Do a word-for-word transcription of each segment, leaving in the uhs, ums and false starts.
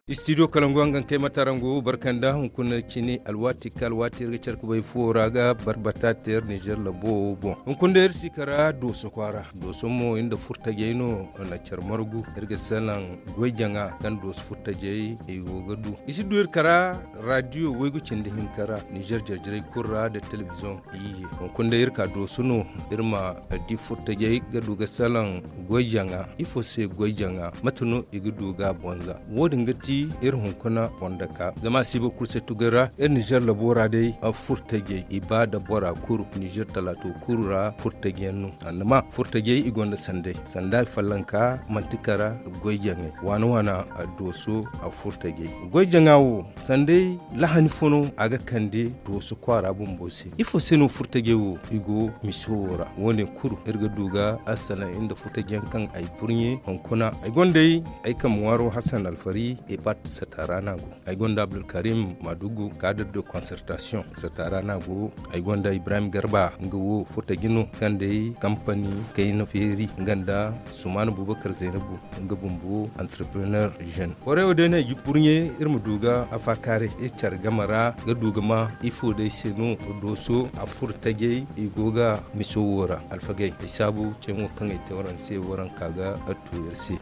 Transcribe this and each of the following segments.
Istidiyo kalangu hangan kay matarangu barkanda hunkuna cini alwaati ka alwaati iri ga care ka bay fuwo ra ga barbata te iri nizer labo boŋ. Hunkuna day iri si kara dooso kwaara dooso mo iri nda furtajey no na care margu iri ga salaŋ goy jaŋa kaŋ dooso furtajey i go ga du i si du iri kara. Radiyo waygu cindi hinka ra nizer jarjarey kulu ra nda telebiziyoŋ iyye. Hunkuna day iri ka dooso no iri ma di furtajey ga du ga salaŋ goy jaŋa. Ifo se goy jaŋa mate no i ga du ga a bonza? Wo-din ga ti iri hunkuna boŋ dake zama a si boro kulu se tugay ra iri nizer labo ra day. Furtajey i ba nda bora kulu nizer talaato kulu ra furtajey yaŋ no. Annama furtajey i gonda sanday sanda i fallanka manti kara goy jaŋay waana waana. Dooso a furtajey goy jaŋa wo sanday lahani fo no a ga kande dooso kwaara bumbo se ifo se no furtajey wo i go miso wo ra wo- ne kulu iri ga du ga a salaŋ iri nda furtajey yaŋ kaŋ ay burɲe hunkuna ay gonda ay ay kambe ŋwaaro hasan alfari epat sata ra no a go. Ay gonda abdulkarim madugu kadir de konsertasiyoŋ sata ra no a go. Ay gonda ibrahim garba nga wo furtaji no kaŋ day kampani kayna feeri nga nda sumaana bubakar zaynabu nga bumbo entrepreneur jeune. Korewo day no ay ga burɲe iri ma du ga afa kaaray iri care game ra ga du ga ma ifo day se no dooso a furtajey i go ga miso wo ra alfagey ay saabu ceeyaŋo kaŋ ay te waraŋ se waraŋ ka ga a tu iri se.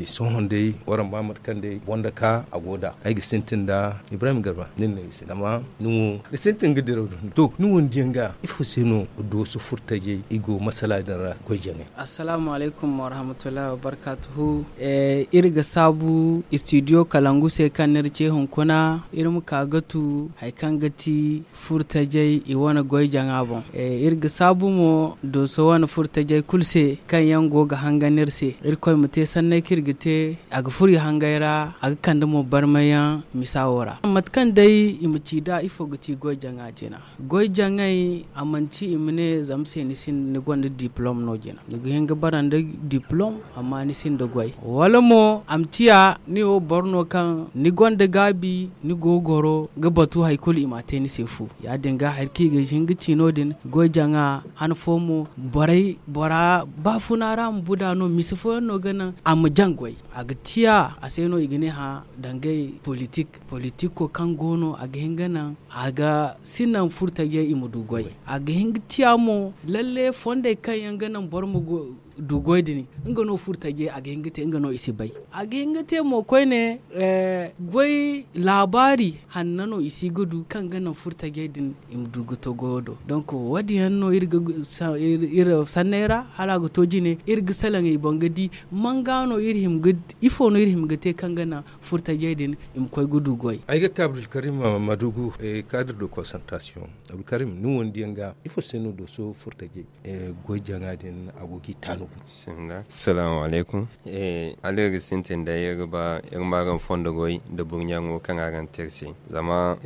Sohõ day waraŋ ba mate kaŋ day boŋ da ka a go nd'a ay ga sintin nda ibrahim garba nin no ay se zama ni wo ga sintin ga diraw din to ni wo ni diyaŋ ga ifo se no dooso furtajey i go masala din ra goy jaŋay. Assalaamu alaykum warahmatullahi wabarkaatuhu. Iri ga saabu istidiyo kalangu se kaŋ no iri ce hunkuna iri ma ka ga tu hari kaŋ ga ti furtajey i wane goy jaŋa boŋ. Iri ga saabu mo dooso wane furtajey kulu se kaŋ yaŋ go ga hangan iri se irkoy ma te sanney kaŋ iri ga te a ga furo i hangey ra a ga kande mo barmay yaŋ misa wo ra mate kaŋ day i ma ci nd'a ifo ga ci goy jaŋa jina. Goy jaŋay a manti i ma ne zama se ni gonda diplom no jina ni ga hin ga bara nda diplom amma ni sinda goy wala mo a ma ciya ni wo boro no kaŋ ni gonda gaabi ni go ga goro ga batu hari kulu i m'a te ni se fu. Ya- din ga hari kaŋ i ga hin ga ci no- din goy jaŋa han fo mo borey bora baafuna ra ma buda no mise fooyaŋ no ga naŋ a ma jaŋ goy a ga ciya a se no i ga ne hã dangay politik. Politiko kaŋ go no a ga hin ga naŋ a ga si naŋ furtajey i ma du goy. A ga hin ga ciya mo lalle fondey kaŋ yaŋ ga naŋ boro ma du goy din nga no furtajey a ga hin ga te nga no i si bay. A ga hin ga te mo koyne goy laabaari hanna no i si ga du kaŋ ga naŋ furtajey din i ma du ga to goyo do. Donk wo- din yaŋ no iri sanney ra hala a ga to jine iri ga salaŋ i boŋ ga di manga no iri hima ga ifo no iri hima ga te kaŋ ga naŋ furtajey din i ma koy ga du goy. Ay ga ka abdulkarim madugu kaadir de konsantrasiyoŋ. Abdulkarim ni wo ni diyaŋ ga ifo se no dooso furtajey goy jaŋa din a go g'i taanugu? Salaamu alaykum. Hala iri ga sintin day iri ga ba iri ma araŋ fondo goy nda burɲaŋo kaŋ araŋ te iri se. Zama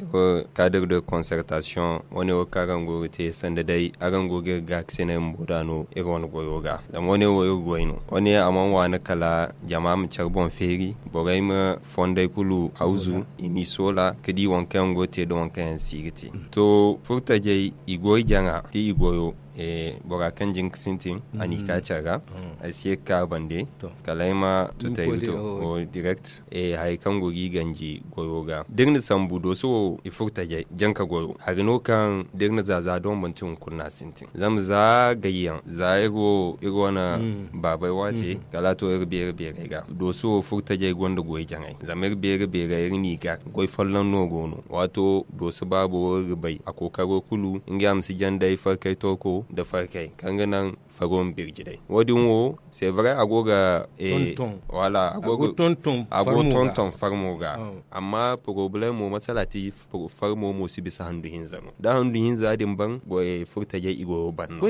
kaadir de konsertasiyoŋ wo- ne wo kaŋ araŋ go ga te sanda day araŋ go ga iri gaakasinay bumbo da no iri wane goyo ga. Zama wo- ne wo iri goy no wo- ne a mana waani kala jama ma care boŋ feeri borey ma fondey kulu hawzu i m'i soola ga di waŋ kaŋ yaŋ go ga te nda waŋ kaŋ yaŋ si ga te. To furtajey i goy jaŋa da i goyo bora kaŋ jin ga sintin a n'i ka care ra. Ay si ye ga ka a bande kala ay ma tutay ga to direct. Hari kaŋ go g'i ganji goyo ga da iri na sambu dooso wo i furtajey janka goyo hari no kaŋ da iri na za za doŋ manti hunkuna no a sintin zama za gayyaŋ za iri wo iri wane baabey waate kala a to iri beere beerey ga dooso wo furtajey gonda goy jaŋay zama iri beere beerey iri n'i ga goy folloŋ no go no waato dooso baabo wo iri ga bay a kookaro kulu ngey a ma si jaŋ day farkay torko nda farkay kaŋ ga naŋ faro ma birji day wo- din wo c'est vrai a go ga wala a go tonton farmo ga. Amma poroblemo masala ti farmo mo si bisa handu hinza no da handu hinza din ban goyey furtajey i goyo ban no.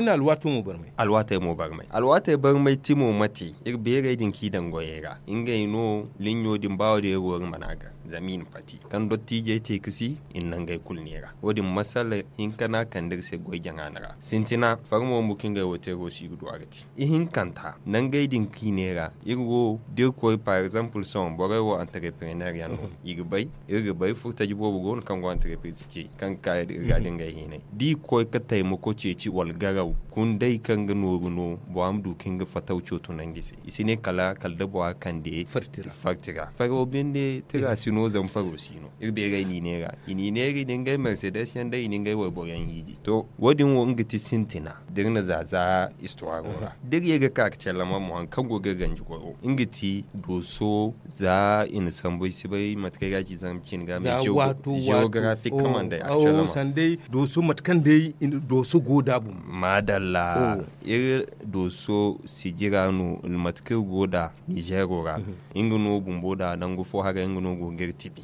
Alwaatey mo barmay alwaatey barmay ti mo mate iri beerey din kaŋ i daŋ goyey ra ngey no liɲɲo din ba wo- din iri go iri mana gar zama i na pati kaŋ dottijey te ga si i na naŋ ngey kulu neera wo- din masala hinka no a kande iri se goy jaŋa no ra sintina. Farmo bumbo kaŋ ngey wo te go si ga du a ga te ihinkanta nangey din kaŋ i ne ra. Iri wo da iri koy par exemple sohõ borey wo entrepreneur yaŋ no i ga bay. Iri ga bay furtaji boobo go no kaŋ go entreprise ce kaŋ ga ka iri ga da ngey hinay da i ga koy ga taymako ceeci wala garaw kunday kaŋ ga nooru no bora ma du ka hin ga fataw cooto nangu i se i si ne kala da bora kande farti ra. Faro binde tira si no zama faro si no iri beeray n'i neera i n'i neera i na ngey mercedes yaŋ day i na ngey wayboro yaŋ hiiji to wo- din wo nga ti sintina da iri na za za istuwaro ra da iri ye ga ka ga callama mo hari kaŋ go ga iri ganji goyo nga ti dooso za i na sambu ay si bay mate kaŋ ay ga a ci zama cine ga mais geographic kaman day actuellement sanday dooso mate kaŋ day dooso go da bumbo maadalla iri dooso sijira no mate kaŋ iri go da nizero ra nga no bumbo da nangu fo haray nga no go ga iri tibi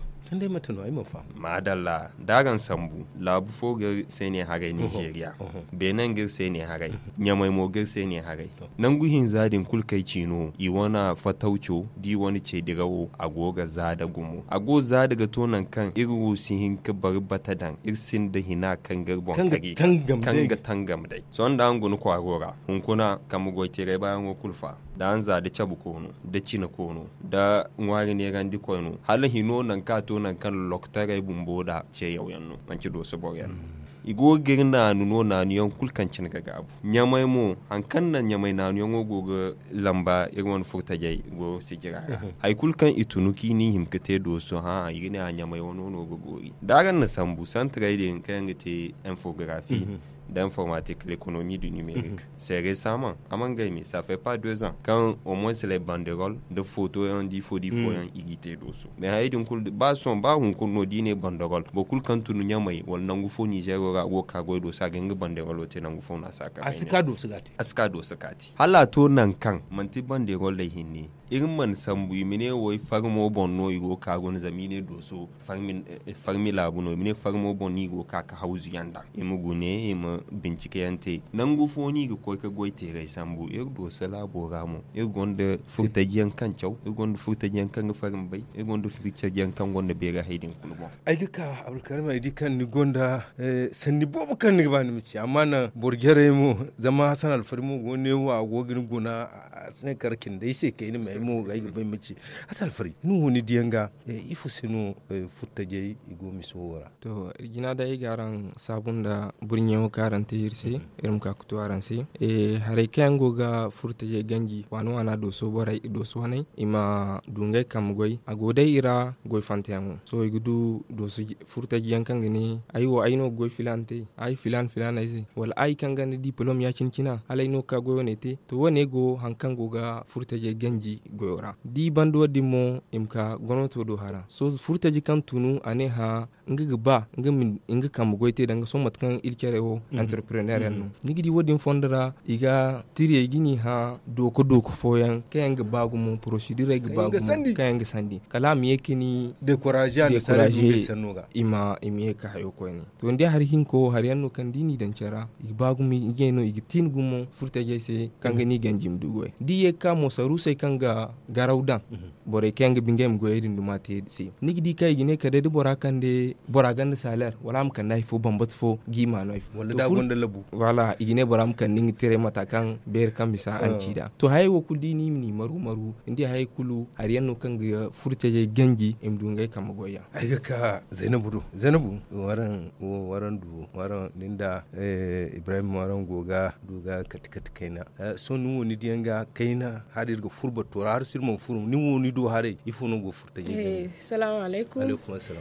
maadalla da araŋ sambu laabu fo ga iri se ne haray nizeeriya beene ga iri se ne haray ɲamay mo ga iri se ne haray nangu hinza din kulu kaŋ ay ci no i wane fatawco da i wane ceedirawo a go ga za da gumo a go za da ga to nangu kaŋ iri wo si hin ga bari bata daŋ iri sinda hina kaŋ ga iri boŋ kari kaŋ ga tangam day sohõ da araŋ guna kwaaro ra hunkuna kambe goy teeray baayaŋo kulu fa da araŋ za da cabe koono da cine koono da ŋwaari neerandi koyno hala hino nangu kaŋ a to nangu kaŋ loktaray bumbo da ceeyaw yaŋ no manci dooso boro yaŋ no i go ga iri naanu no naanu yaŋ kulu kaŋ cine ga gaabu ɲamay mo hari kaŋ naŋ ɲamay naanu yaŋo go ga lamba iri wane furtajey go sijira ra hari kulu kaŋ i tunu kaŋ i n'i hima ga te dooso hã i ga ne a ɲamay wano no ga boori da araŋ na sambu santaray din kaŋ yaŋ ga te infografi nda informatik l'économie du numérique seere saman a mana gay me ça fait pas deux ans kaŋ au moins les banderol nda foto yaŋ da ifo da ifo yaŋ i g'i te dooso mais hayey din kulu ba sohõ ba hunkuna no da i ne banderol boro kulu kaŋ tunu ɲamay wala nangu fo nizero ra a go ga ka goy dooso a ga hin ga banderolo te nangu fo no a si a ka dooso kaati hala a to nangu kaŋ manti banderol day hinne iri mana sambu i ma ne wo i farmo boŋ no i go ga ka guna zama i ne dooso farmi laabu no i ma ne farmo boŋ no i go ga ka ga hawzu yaŋ daŋ i ma gune i ma bincike yaŋ te nangu fo no i ga koy ga goy teeray sambu iri dooso laabo ra mo iri gonda furtaji yaŋ kaŋ caw iri gonda furtaji yaŋ kaŋ ga farmi bay iri gonda furtaji yaŋ kaŋ gonda beeray hay din kulu boŋ ay ga ka abdulkarim ay di kaŋ ni gonda sanni boobo kaŋ ni ga ba ni ma ci amma naŋ boro jarey mo zama hasan alfari mo go ne wo a go ga ni guna a si ne kar cindey se kayna me ay mo ay ga ba ay ma ci hasan alfari ni wo ni diyaŋ ga ifo se no furtajey i go miso wo ra to iri jina day ay ga araŋ saabu nda burɲewo kaŋ araŋ te iri se iri ma ka ga tu araŋ se haray kaŋ yaŋ go ga furtajey ganji waana waana dooso borey dooso waney i ma du ngey kambe goy a go day i ra goy fantayaŋo sohõ i ga du dooso furtaji yaŋ kaŋ ga ne ay wo ay no ga goy filaana te ay filaana filaana ay se wala ay kaŋ gonda diplom ya- cine cina hala ay no ga ka goy wane te to wane go hari kaŋ go ga furtajey ganji goyo ra da i banda wo- din mo i ma ka gomnato do hara sohõ furtaji kaŋ tunu a ne hã nga ga ba nga kambe goy te danga sohõ mate kaŋ iri care wo entrepreneur yaŋ no ni ga di wo- din fondo ra i ga tiriyey ga ni hã dooka dooka fooyaŋ kaŋ yaŋ ga ba gumo porosidurey ga ba gumo kaŋ yaŋ ga sandi kala a ma ye ga ni dekouraze i ma ye ga hayo koyne to ni di hari hinka wo hari yaŋ no kaŋ da i n'i daŋ care ra i ga ba gumo ngey no i ga tiini gumo furtajey se kaŋ ga ni ganji ma du goy da i ye ga ka mo saruusey kaŋ ga garaw daŋ borey kaŋ yaŋ ga ba ngey ma goyey din duma te se ni ga di kaŋ i ga ne kala day da bora kande bora gonda saler wala a ma kande hari fo bambata fo ga i ma no hari fo wala da a gonda labu wala i ga ne bora ma kande nga tiray mata kaŋ beeri kaŋ bisa araŋ ci nd'a to hayey wo kulu da i ne i ma n'i maru maru ni di hayey kulu hari yaŋ no kaŋ ga furtajey ganji i ma du ngey kambe goy yaŋ ay ga ka zaynabu do zaynabu waraŋ wo waraŋ du waraŋ nin da ibrahim waraŋ go ga du ga kati kati kayna sohõ ni wo ni diyaŋ ga kayna hala iri ga furo batto ra hala sohõ iri mana furo ni wo ni do haray ifo no go furo tajay ga ni salaamu alaykum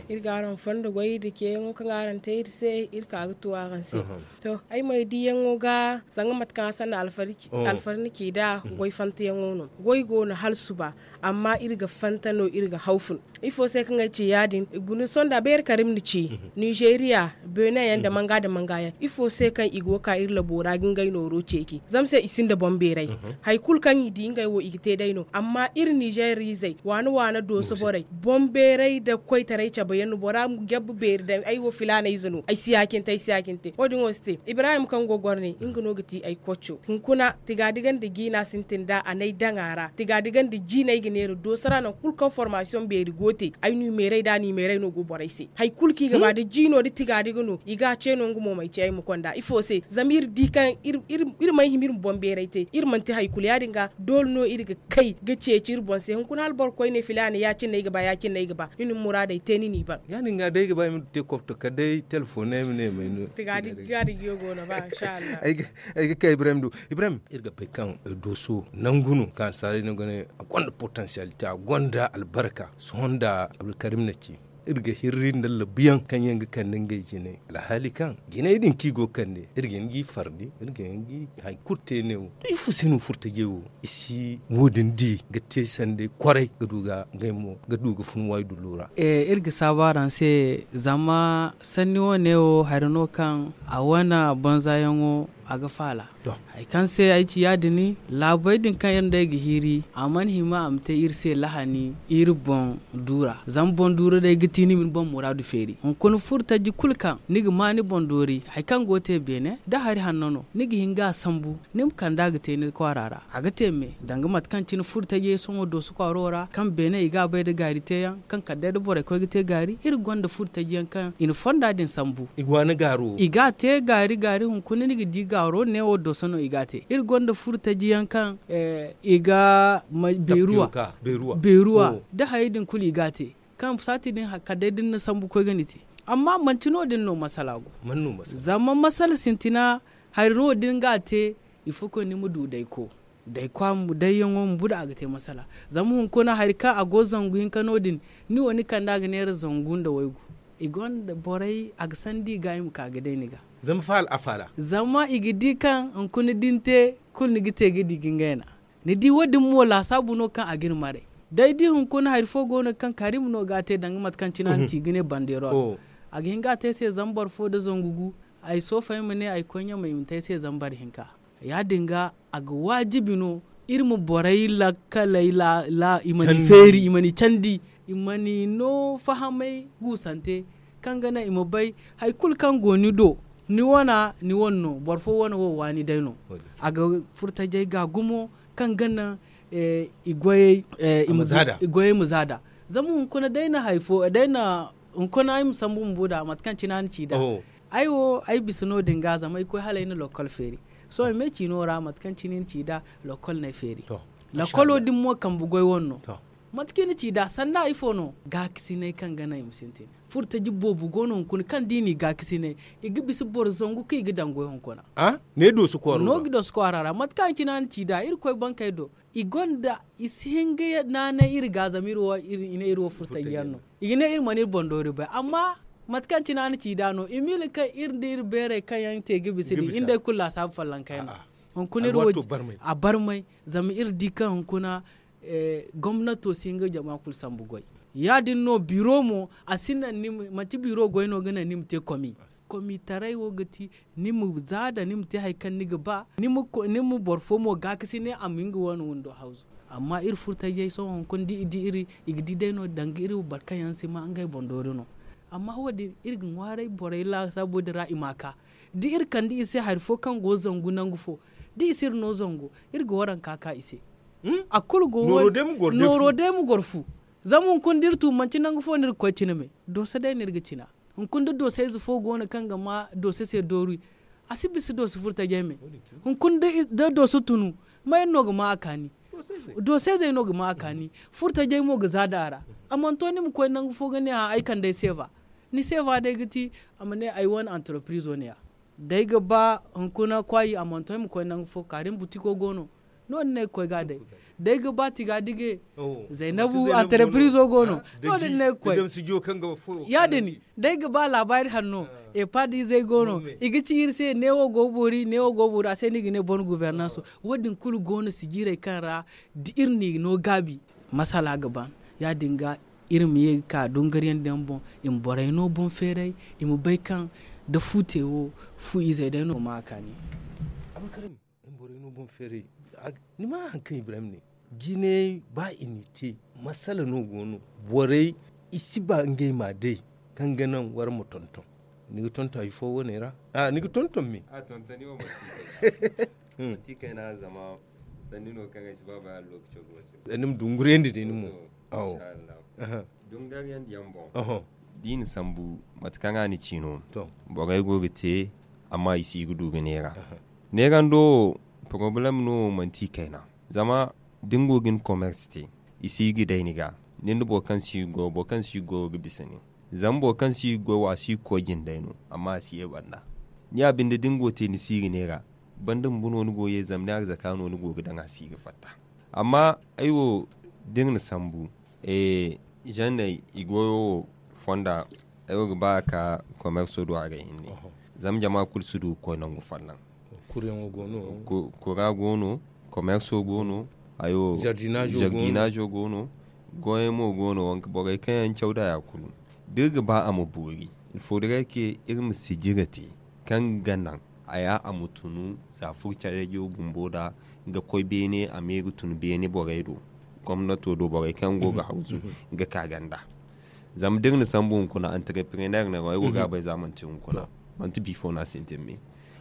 iri ga araŋ fondo goy nda ceeyaŋo kaŋ araŋ te iri se iri ka ga tu araŋ se to ay ma ay diyaŋo ga zanga mate kaŋ a sanna alfari ni ci nd'a goy fantayaŋo no goy go no hala suba amma iri ga fanta no iri ga haw fun ifo se kaŋ ay ci ya- din guna sohõ nda beeri kala iri ma ni ci nizeeriya beene yaŋ nda manga nda manga yaŋ ifo se kaŋ i go ga ka iri labo ra ga ngey nooro ceeci zama se i sinda boŋ beeray hari kulu kaŋ i di ngey wo i ga te day no amma iri nizeeriizey waana waana dooso borey boŋ beeray nda koytaray cabe yaŋ no bora gabbu beeri day ay wo filaana ize no ay si ya- cine te ay si ya- cine te wo- din wo si te. Ibrahim kaŋ go goro ne nga no ga ti ay kocco. Hunkuna tigaadiga nda jiina sintin da a n'ay daŋ a ra tigaadiga nda jiina ay ga neera dooso ra nangu kulu kaŋ formaasiyoŋ beeri go te ay numeeray da numeeray no go borey se. Hari kulu kaŋ i ga ba da jiino da tigaadiga no i ga a ce no nga mo m'ay ce ay ma konda ifo se zama iri di kaŋ iri mana hima iri ma boŋ beeray te iri manti hari kulu ya- din ga doole no iri ga kay ga ceeci iri boŋ se hunkuna hala boro koyne filaana ya- cine no ay ga ba ya- cine no ay ga ba ni na ni muraadey te ni n'i ban. Ya- din ga day ay ga ba ay ma du te kopto kala day telefoŋ ay ma ne may no. Tigaadiga go no ba inshallah. Ay ga kay ibrahim du ibrahim iri ga bay kaŋ dooso nangu no kaŋ annasaarey no ga ne a gonda potensiyalite a gonda albarka sohõ nda abdulkarim na ci iri ga hirri nda labuyaŋ kaŋ yaŋ ga kande ngey jinay alhaali kaŋ jinay din kaŋ i go ga kande iri ga hin ga i fardi iri ga hin ga i hari kulu te ne wo to ifo se no furtajey wo i si wo- din di ga te sanday kwaray ga du ga ngey mo ga du ga fun waydullo ra. Iri ga saabu araŋ se zama sanni wo- ne wo hari no kaŋ a wane banzayaŋo a ga faala. Hari kaŋ se ay ci ya- din laabey din kaŋ iri nd'ey ga hiiri a mana hima a ma te iri se lahani iri boŋ duura zama boŋ duura day ga ti ni ma ni boŋ muraadu feeri hunkuna furo taji kulu kaŋ ni ga ma ni boŋ doori hari kaŋ go ga te beene da hari hanno no ni ga hin ga a sambu ni ma kand'a ga te ni kwaara ra a ga te me danga mate kaŋ cine furo tajey sohõ dooso kwaaro ra kaŋ beene i ga a bay nda gaari teeyaŋ kaŋ kala day da borey koy ga te gaari iri gonda furo taji yaŋ kaŋ i na fonda din sambu i ga a te gaari gaari hunkuna ni ga di gaaro neewo dooso no i ga a te iri gonda furo taji yaŋ kaŋ i ga beeruwa da hayey din kulu i ga a te kaŋ saati din kala day da ni na sambu koy ga ni te amma manti no- din no masala go zama masala sintina hari no- din ga a te ifo koy ni ma du dayko dayko dayyaŋo ma bu da a ga te masala zama hunkuna hari kaŋ a go zangu hinka no- din ni wo ni kand'a ga neera zangu nda waygu i gonda borey a ga sandi i ga i ma ka ga day ni ga zama i ga di kaŋ hunkuna da ni te kulu ni ga te ga di ga ngey na ni di wo- din mo laasaabu no kaŋ a ga ni maray day da i hunkuna hari fo go no kaŋ karim no ga a te danga mate kaŋ cine a na ci ga ne bandeero a ga hin ga a te ay se zama boro fo nda zangu gu ay soofa ay ma ne ay koy ɲamay i ma te ay se zama boro hinka ya- din ga a ga waajibi no iri ma borey lakkaley i ma ni feeri i ma ni candi i ma ni no fahamay guusante kaŋ ga naŋ i ma bay hari kulu kaŋ go ni do ni wane ni wane no boro fo wane wo waani day no a ga furo tajey ga gumo kaŋ ga naŋ i goyey ma zaada zama hunkuna day na hari fo day na hunkuna ay ma sambu bumbo nd'a mate kaŋ cine a na ci nd'a ay wo ay bisa no- din ga zama ay koy hala ay na lokkol feeri sohõ ay me ciino ra mate kaŋ cine i na ci nd'a lokkol no ay feeri lokkolo din mo kambe goy wane no mate kaŋ i na ci nd'a sanda ifo no gaakasinay kaŋ ga naŋ i ma sintin furo taji boobo go no hunkuna kaŋ da i n'i gaakasinay i ga bisa boro zangu kaŋ i ga daŋ goy hunkuna no ga dooso kwaara ra mate kaŋ cine a na ci nd'a irkoy bankey do i gonda i si hin ga naanay iri ga zama iri wo iri i ne iri wo furo taji yaŋ no i ga ne iri mana iri boŋ doori bay amma mate kaŋ cine a na ci nd'a no i miila kaŋ iri nda iri beerey kaŋ yaŋ te ga bisa din iri nd'ey kulu laasaabu follonkey no hunkuna iri wo a barmay zama iri di kaŋ hunkuna gomnato si hin ga jama kulu sambu goy ya- din no biro mo a si naŋ ni ma manti biro goy no ga naŋ ni ma te komi komitaray wo ga ti ni ma zaada ni ma te hari kaŋ ni ga ba ni ma boro fo mo gaakasinay a ma nga wane windo hawzu amma iri furo tajey sohõ hunkuna da i di iri i ga di day no danga iri boro kaŋ yaŋ si ma ngey boŋ doori no amma wo- din iri ga ŋwaaray borey laasaabo din ra i ma a ka da iri kande i se hari fo kaŋ go zangu nangu fo da i si iri no zango iri ga waranka ka i se a kulu go nooro day ma goro fu zama hunkuna da iri tu manti nangu fo no iri ga koy cina me dooso day no iri ga cina hunkuna da doosayze fo go no kaŋ ga ma doose se doori a si bisa doose furo tajey me hunkuna da doose tunu ma iri no ga ma a kaani doosayzey no ga ma a kaani furo tajey mo ga zaada a ra a mana to ni ma koy nangu fo ga ne hã ay kande ay seefa ni seefa day ga ti a ma ne ay wane antarapirizo ne- ya da ay ga ba hunkuna kwaayi a mana to ay ma koy nangu fo kaari ma butiko go no no- din no ay ga koy ga a day da ay ga ba tiga dige zaynabu antarapirizo go no no- din no ay ga koy ya-din da ay ga ba laabaari hanno epaad izey go no i ga ci iri se neewo go ga boori neewo go ga boori a se no i ga ne boro guvernanso wo- din kulu go no sijiirey kaŋ ra da iri n'i no gaabi masala ga ban ya- din ga iri ma ye ga ka dungariyandi yaŋ boŋ i ma borey no boŋ feeray i ma bay kaŋ da fu te wo fu izey day no ma a kaani ni ma haŋ kaŋ ibrahim ne jinay ba i n'i te masala no go no borey i si ba ngey ma day kaŋ ga naŋ war ma tonton. Ni ga tonton hari fo wane ra? Ni ga tonton me? A tontoni wo manti kayna zama sanni no kaŋ ay si ba bay hala lokaco ga wasa. Sanni ma dungurandi day ni mo. Awo. Dungariyandi yaŋ boŋ da i na sambu mate kaŋ a na ci no. Borey go ga te amma i si ga du ga neera. Neerando wo porobalem no manti kayna. Zama da ni go ga ni komersi te i si ga day ni ga. Ni nda boro kaŋ si ga goyo boro kaŋ si ga goyo ga bisa nin. Zama boro kaŋ si ga goyo a si ga koy jinday no. Amma a si ye banda ni ya binde da ni go ga te ni si ga neera. Banda bumbo no ni go ga ye zama ni arzaka no ni go ga daŋ a si ga fatta. Amma ay wo da iri na sambu zanney i goyo wo fonda. Ay wo ga ba a ka komerso do a ga hinne. Zama jama kulu si du ga koy nangu folloŋ. Kura go no komerso go no. Hayo jardinazo go no. Goyey mo go no borey kaŋ yaŋ caw da ya kulu. Da iri ga ba a ma boori il faut da ray ke iri ma sijira te kaŋ ga naŋ a ya a ma tunu za furtajeyo bumbo da ga koy beene a me ga tun beene borey do. Gomnato do borey kaŋ go ga hawzu ga ka ganda. Zama da iri na sambu hunkuna antereprener no ay go ga a bay za manti hunkuna manti bifo no a sintin me.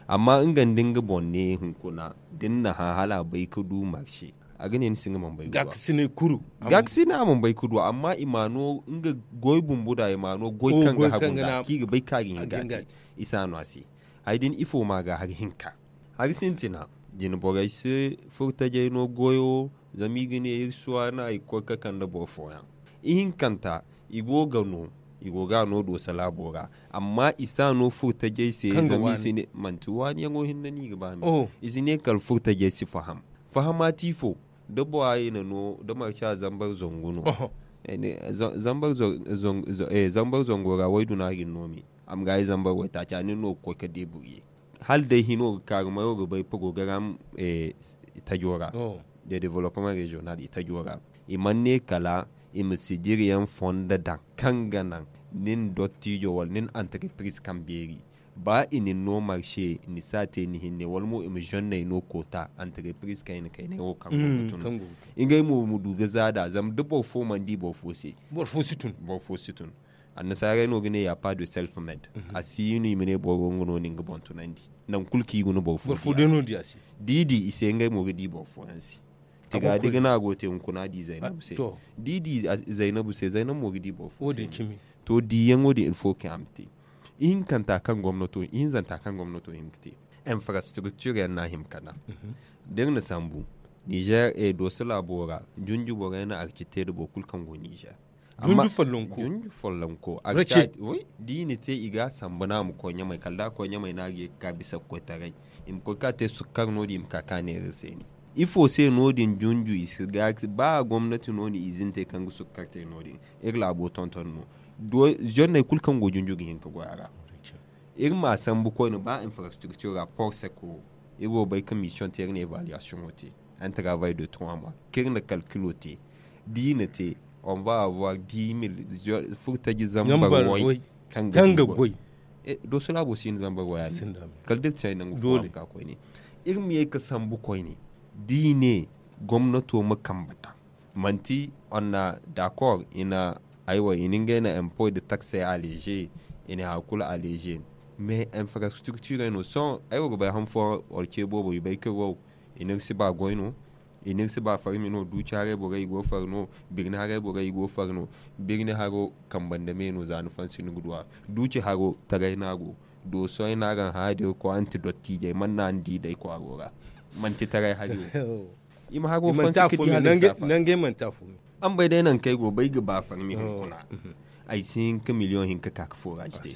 Amma nga nda nga boŋ ne hunkuna da ni na hã hala a bay ga du marse. A ga ne ni si nga mana bay ga du. Gaakasinay a mana bay ga du amma i ma no nga goy bumbo da i ma no goy kaŋ ga hagu nda kaŋ i ga bay kaŋ a ga hin ga te. I si a no a se hari din ifo ma ga hari hinka. Hari sintina jine borey si furtajey no goyo. Zama i ga ne iri si waana i ga koy ga kande boro fooyaŋ. Ihinkanta i go ga no i go ga a no dooso laabo ra. Amma i si a no furtajey se zama i si ne manti waaniyaŋo hinne no i ga ba me. I si ne kala furtajey si faham. Fahama ti ifo da bora i na no da marca zambar zangu no. Zambar zango ra wayduna ga ni no me. A ma ga ay zambar waytaaci a nin no ga koy ga deeburuye. Hala day hino ga kaaru mayo ga bay porogaram tajo ra de development regional i tajo ra. I mana ne kala i ma sijiriyaŋ fondo daŋ kaŋ ga naŋ nin dottijo wala nin anterepriz kaŋ beeri. Ba i na ni no marse ni si a te ni hinne wala mo i ma zonney no koota anterepriz kaŋ i na kaynay wo kaŋ go ga tun. Ngey mo ma du ga za nd'a zama da boro fo mana di boro fo se. Boro fo si tun. Annasaarey no ga ne ya pas de self med. A si no i ma ne boro nga no na nga boŋ tunandi. Nangu kulu kaŋ i guna boro fo day no di a se. Da i di i se ngey mo ga di boro fooyaŋ se. Tiga da i ga ne a go te hunkuna a di zaynabu se. Da i di zaynabu se zaynabu mo ga di boro fo se. To diyaŋo din il faut que a ma te. Ihinkanta kaŋ gomnato ihinzanta kaŋ gomnato hin ga te infrastructure yaŋ no a hima ka naŋ. Da iri na sambu nizer dooso laabo ra junju borey na arci te nda boro kulu kaŋ go nizer. Junju follonko. Da i na te i ga a sambu no a ma koy ɲamay kala da a koy ɲamay no a ga ye ga ka bisa ga koy taray. I ma koy ga ka te sukkar no- din i ma ka ka neera se ni. Ifo se no- din junju i si ga ba gomnati no- din izin te kaŋ ga sukkar te no- din. Iri laabo tonton no. Zonney kulu kaŋ go junju ga hin ga goy a ra. Iri ma a sambu koyne ba infrastructure ra porsek wo iri wo bay ka mission te iri na evaluation wo te. Un travail de trois mois kaŋ iri na calculo te da i na te on va avoir dix mille furtaji zambar way kaŋ ga goy. Dooso laabo si hin zambar way a se. Kala da iri te nangu fo a ma ka koyne. Iri ma ye ga sambu koyne da i ne gomnato ma kambe daŋ. Manti on na d'accord i na aywa i na ngey na impôt de taxe allégé. I na hari kulu allégé mais infrastructure no sohõ ay wo ga bay han fooyaŋ wala ce boobo i bay kaŋ wow i n'iri si ba goy no. I n'iri si ba farmi no duuci haray borey i go far no. Birni haray borey i go far no. Birni haro kambe nda me no za ni fansi ni ga du a. Duuci haro taray no a go. Dooso ay no araŋ hã da iri koy araŋ ti dottiijey mana no araŋ di day kwaaro ra. Manti taray hari wo. I ma haro fonse ka di hala i saafa. Araŋ bay day nangu kaŋ ay go ba ay ga ba farmi hunkuna. Ay si hin ka miliyoŋ hinka ka ka foraaji te.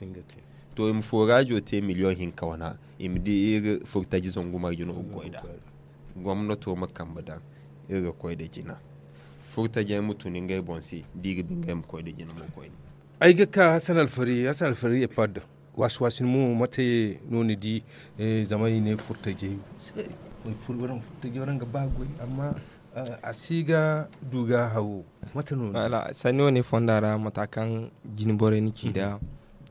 To i ma foraajo te miliyoŋ hinka wana i ma di iri furtaji zangu marje no ga goy nd'a. Gomnato ma kambe daŋ iri ga koy nda jina. Furtajey ma tun ngey boŋ se da i ga ba ngey ma koy nda jina mo koyne. Ay ga ka hasan alfari hasan alfari epad. Waasi waasi ni mo mate no ni di? Zama i ne furtajey se. Waranka furtajey waranka ba goy amma a si ga du ga hawo. Mate no ni di? Sanni wane fonda ra mata kaŋ jine borey na ci nd'a.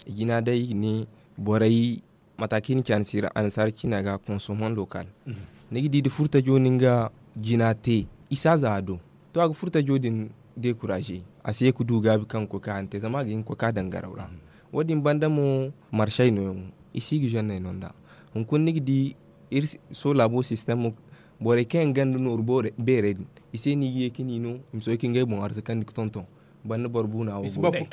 I jina day i ga ne borey mata kaŋ i na ci annasaara ciina ga consommant local. Ni ga di da furtajo na nga jina te i si a za a do. To a ga furtajo din dekuraze a si ye ga du gaabi kaŋ ga koy ka haŋ te zama a ga hin ga koy ka daŋ garaw ra. Wo- din banda mo, marsey no yaŋ, i si ga zenney no nd'a. Hunkuna ni ga di iri soola bo sistemo, borey kaŋ yaŋ gonda nooru beerey din, i se no i ga ye ka ni no i ma soobay ka ngey boŋ arzakandi ga tonton. Banda boro buuna wo go day,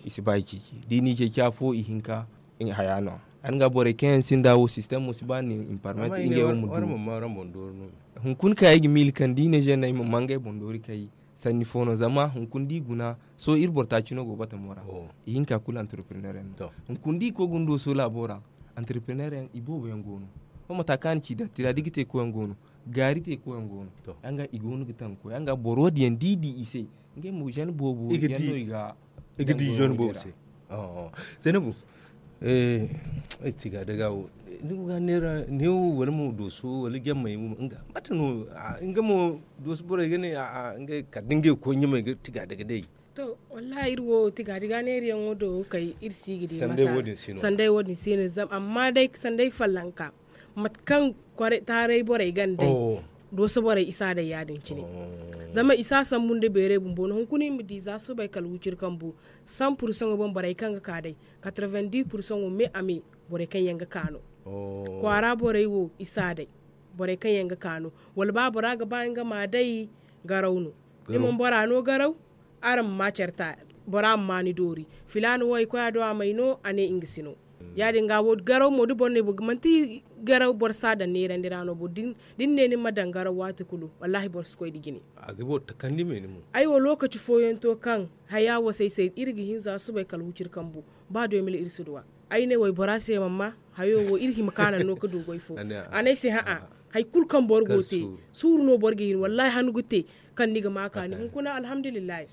i si ba i ceeci. Da i n'i ceeci afo, ihinka haya no a. Yaadin ga borey kaŋ yaŋ sinda wo sistemo si ba ni i ma parmante ngey wo ma du. Hunkuna kaŋ ay ga miila kaŋ da i ne zenney ma ma ngey boŋ doori kay, sanni fo no zama hunkuna da i guna, sohõ iri boro taaci no go batamo ra. Ihinka kulu antarpreneur yaŋ no. Hunkuna da i koy ga ni do soola bo ra, antarpreneur yaŋ i boobo yaŋ go no. Sohõ mata kaŋ a na ci dattira da i ga te koy yaŋ go no, gaari te koy yaŋ go no. Yaŋ ga i go no ga taŋ ga koy yaŋ ga boro wo- din yaŋ da i di i se. Ngey mo zen boobo yaŋ no i ga i ga di zen boobo se. Zaynabu, ay tiga daga wo, ni go ga neera neewo wala mo dooso wala jammay mo nga mate no? Nga mo dooso borey ga ne a'a ngey kala da ngey ga koy ɲamay ga tiga daga day. To, wallahi iri wo tiga daga neera yaŋo do kay iri si ga di sanday wo- din si no. Sanday wo- din si no zama amma day sanday fallanka mate kaŋ taaray borey ga ni day, dooso borey i si a day ya- din cine. Zama i si a sambu nda beeray bumbo no hunkuna i ma di za subay kala wuciri kambu. San pursaŋo boŋ borey kaŋ ga ka day, katara-vingt-dix pursaŋo me a me, borey kaŋ yaŋ ga ka no. Kwaara borey wo i si a day, borey kaŋ yaŋ ga ka no. Wala ba bora ga ba nga ma a day, garaw no. Ni mana bora no garaw, araŋ ma ma care ta, bora ma ma ni doori. Filaana wo ay koy a do a may no a ne nga si no. Ya- din ga wo garaw mo da boro ne manti garaw boro si a daŋ neerandi ra no bo da ni ne ni ma daŋ garaw waati kulu, wallahi boro si koy nda jine. A ga boro takandi me ni mo. Ay wo lookaci fooyaŋ to kaŋ haya wo se ay se iri ga hin za subay kala wuciri kambu. Ba doomil iri si duw'a. Ay ne waybora se man ma hayo wo iri hima ka naŋ no ga du goy fo. A ne ay se ha'a, hari kulu kaŋ boro go te, suuru no boro ga hin wallahi hannu ga te. Kaŋ ni ga ma kaani hunkuna alhamdulillahi.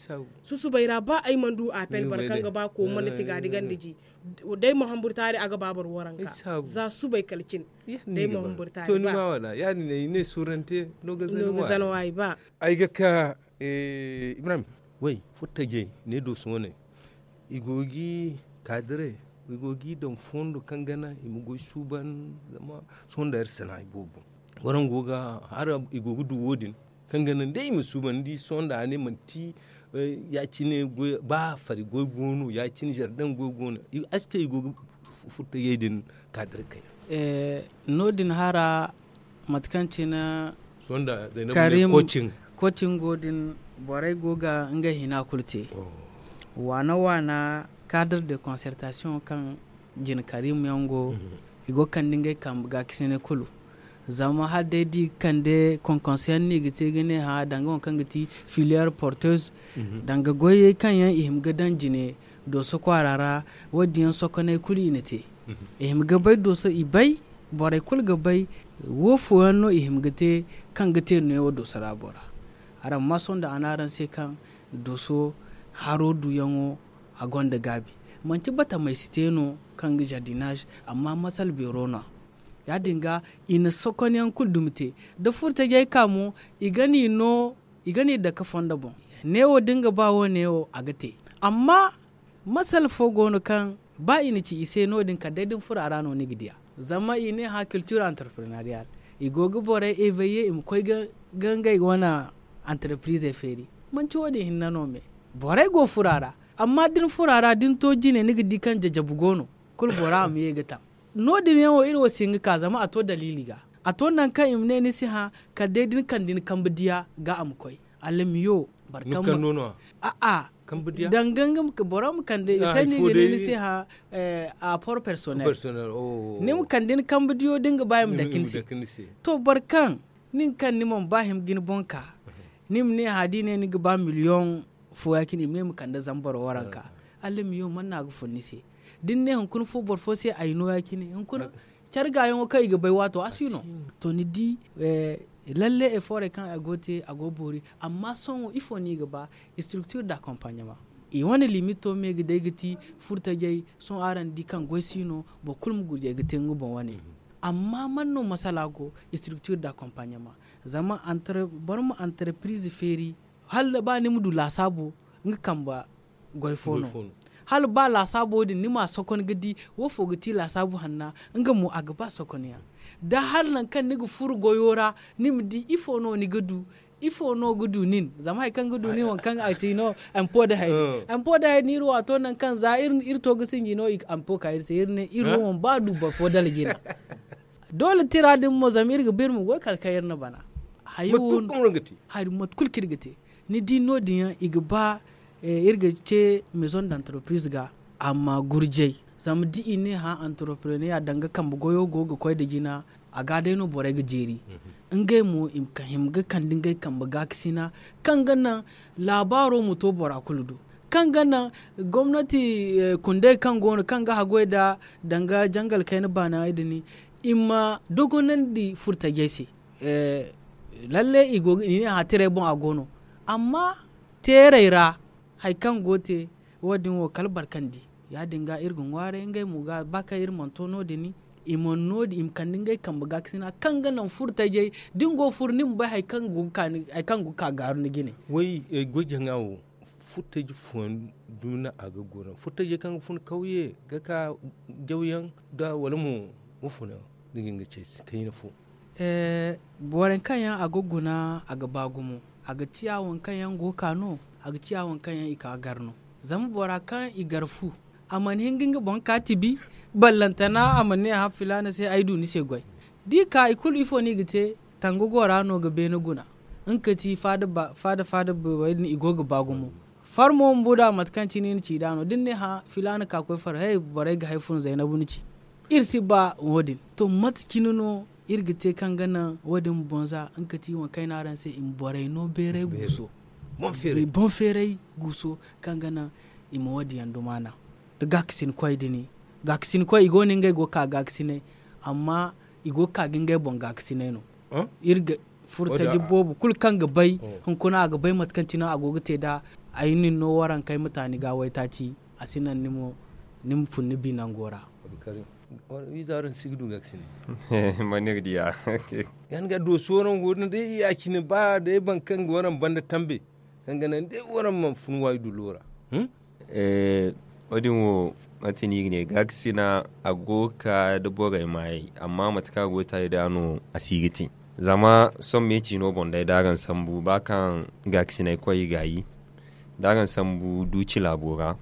Susubay ra ba ay mana du apel boro kaŋ ga ba koomo nda tiga di ganda ji. Day ma hamburu taari a ga ba boro waranka za subay kala cin. Day ma hamburu taari ba. Ya- din ay ne suurante no ga zana waay ba. Ay ga ka ibrahim, way furtajey ne dooso wane, i go ga i kaadire, i go ga i daŋ fondo kaŋ gana i ma goy suuban. Zama sohõ nda iri sana'a boobo, waraŋ go ga hara i go ga du wo- din kaŋ gana day i ma suuban ni di sohõ nda a ne manti ya- cine goy ba fari goy go no ya- cine zardaŋ goy go no. Aske i go ga furtajey din kaadire kay. No- din hara mate kaŋ cine karim, kocin go din, borey go ga ngey hina kulu te. Waana waana kaadre de konsertasiyoŋ kaŋ jina karim yaŋ go, i go ga kande ngey kambe ga kisinay kulu. Zama hala day da i ga kande konkonse yaŋ no i ga te ga ne hã danga waŋ kaŋ ga ti filiyeer porteuse, danga goyey kaŋ yaŋ i hima ga daŋ jine dooso kwaara ra. Wo- din yaŋ sokoney kulu i na te. I hima ga bay dooso i bay, borey kulu ga bay wo fooyaŋ no i hima ga te kaŋ ga te neewo dooso ra bora. Araŋ ma sohõ nda a ne araŋ se kaŋ dooso haro duyaŋo a gonda gaabi. Manti batamey si te no kaŋ ga jardinaz, amma masal beero no a. Ya- din ga i na sokonyaŋ kulu dumi te. Da furtajey ka mo i ga n'i no i ga n'i dake fondo boŋ. Neewo da nga ba wo neewo a ga te. Amma masala fo go no kaŋ ba i na ci i se no- din kala day da ni furo a ra no ni ga di a. Zama i ne hã kiltir antarprenariyal, i go ga borey eveye i ma koy ga ngey wane antarprizey feeri. Manti wo- din hinne no me. Borey go furo a ra. Amma da ni furo a ra da ni to jine ni ga di kaŋ jajabu go no. Kulu bora a ma ye ga taŋ. No- din yaŋo iri wo si hin ga ka zama a to daliili ga. A to nangu kaŋ i ma ne ni si hã kala day da ni kande ni kambe diya ga a ma koy. Alamiyo boro kaŋ ma a'a, danga nga boro ma kande i se no i ga ne ni si hã. A port personnel ni ma kande ni kambe diyo da ni ga ba i ma dake ni se. To boro kaŋ nin kaŋ ni mana ba hima ga ni boŋ ka, ni ma ne hã da i ne ni ga ba miliyoŋ fo ya- cine i ma ne ma kande zama boro waranka. Alamiyo mana no a ga fun ni se? Da ni ne hunkuna fo boro fo se ay no ya- cine hunkuna care gaayaŋo kaŋ i ga bay waato a si no. To ni di, lalle efoorey kaŋ a go te a go boori. Amma sohõ ifo no i ga ba? Istriktir da akompaɲama. I wane limito me ga day ga ti furtajey. Sohõ araŋ di kaŋ goy si no boro kulu ma gurjay ga te nga boŋ wane. Amma man no masala go? Istriktir da akompaɲama. Zama boro ma antarpriz feeri hala ba ni ma du laasaabo nga kambe goy fo no. Hala ba laasaabo din ni ma a sokon ga di wo fo ga ti laasaabo hanna. Nga mo a ga ba sokonyaŋ da hala nangu kaŋ ni ga furo goyo ra ni ma di ifo no ni ga du. Ifo no ga du nin zama hari kaŋ ga du nin waŋ kaŋ a ti no ampo da hari ampo da hari no iri waato nangu kaŋ za iri to ga sinji no ampo ka iri se iri ne iri wo mana ba du boro fo dala jina. Doole tira din mo zama iri ga ba iri ma goy kala kaŋ iri na bana. Hari mate kulu kaŋ iri ga te ni di no- din yaŋ i ga ba iri ga ce maison d'entreprise ga amma gurjay zama da i ne hã entrepreneur danga kambe goyo go ga koy nda jina. A ga day no borey ga jeeri ngey mo i ma hima ga kande ngey kambe gaakasina kaŋ ga naŋ laabaaro ma to bora kulu do kaŋ ga naŋ gomnati kundey kaŋ go no kaŋ ga haggoy nda danga jangal kayna baanayaŋ din i ma dogonandi furtajey se. Lalle i ne hã tirey boŋ a go no amma teerey ra hari kaŋ go te wo- din wo kala barkandi ya- din ga iri ga ŋwaaray ngey mo ga ba kaŋ iri mana to no- din i mana no- din i ma kande ngey kambe gaakasina kaŋ ga naŋ furo tajey da ni go ga furo ni ma bay hari kaŋ ga ka gaaru ni jine. Way goy jaŋa wo furo taji fooyaŋ dumi no a ga guna furo tajey kaŋ ga fun kawye ga ka jawyaŋ da wala mo wo funa ni ga hin ga cay se kayna fo. Borey kaŋ yaŋ a ga guna a ga ba gumo a ga ciya waŋ kaŋ yaŋ go ga ka no a ga ciya waŋ kaŋ yaŋ i ka gar no. Zama bora kaŋ i gar fu a mana hin ga nga boŋ ka tibi ballantana a mana ne hã filaana se ay du ni se goy. Da i ka i kulu ifo no i ga te tanga go ra no ga beene guna nga ka ti faada faada borey din i go ga ba gumo. Farmo bumbo da mate kaŋ cine i na ci nd'a no da ni ne hã filaana ka koy far hey borey ga hay fun zaynabu ni ci. Iri si ba wo- din to mate cine no iri ga te kaŋ ga naŋ wo- din ma boŋ za nga ka ti waŋ kaŋ ay ne araŋ se i ma borey no beeray guuso. Boŋ feeray guuso kaŋ ga naŋ i ma wo- din yaŋ dumaana. Da gaakasin koy din gaakasin koy i go no ngey go ga ka gaakasinay amma i go ga ka ga ngey boŋ gaakasinay no. Iri ga furo taji boobo kulu kaŋ ga bay hunkuna a ga bay mate kaŋ cine a go ga te nd'a. Ay nin no waranka ay ma taani ga waytaaci a si naŋ ni ma fun ni bi nango ra. Wiiza araŋ si ga du gaakasinay. Manir diya. Yan ga dooso warango din day ya- cine ba day baŋ kaŋ ga waraŋ banda tambe kaŋ ga naŋ day waraŋ mana fun waayi dullo ra. Wo- din wo mate no i ga ne gaakasina a go ga ka nda borey maayey amma mate kaŋ a go ga taali nd'a no a si ga te. Zama sohõ meeci no boŋ day da araŋ sambu ba kaŋ gaakasinay koy i gaayi da araŋ sambu duuci laabo ra.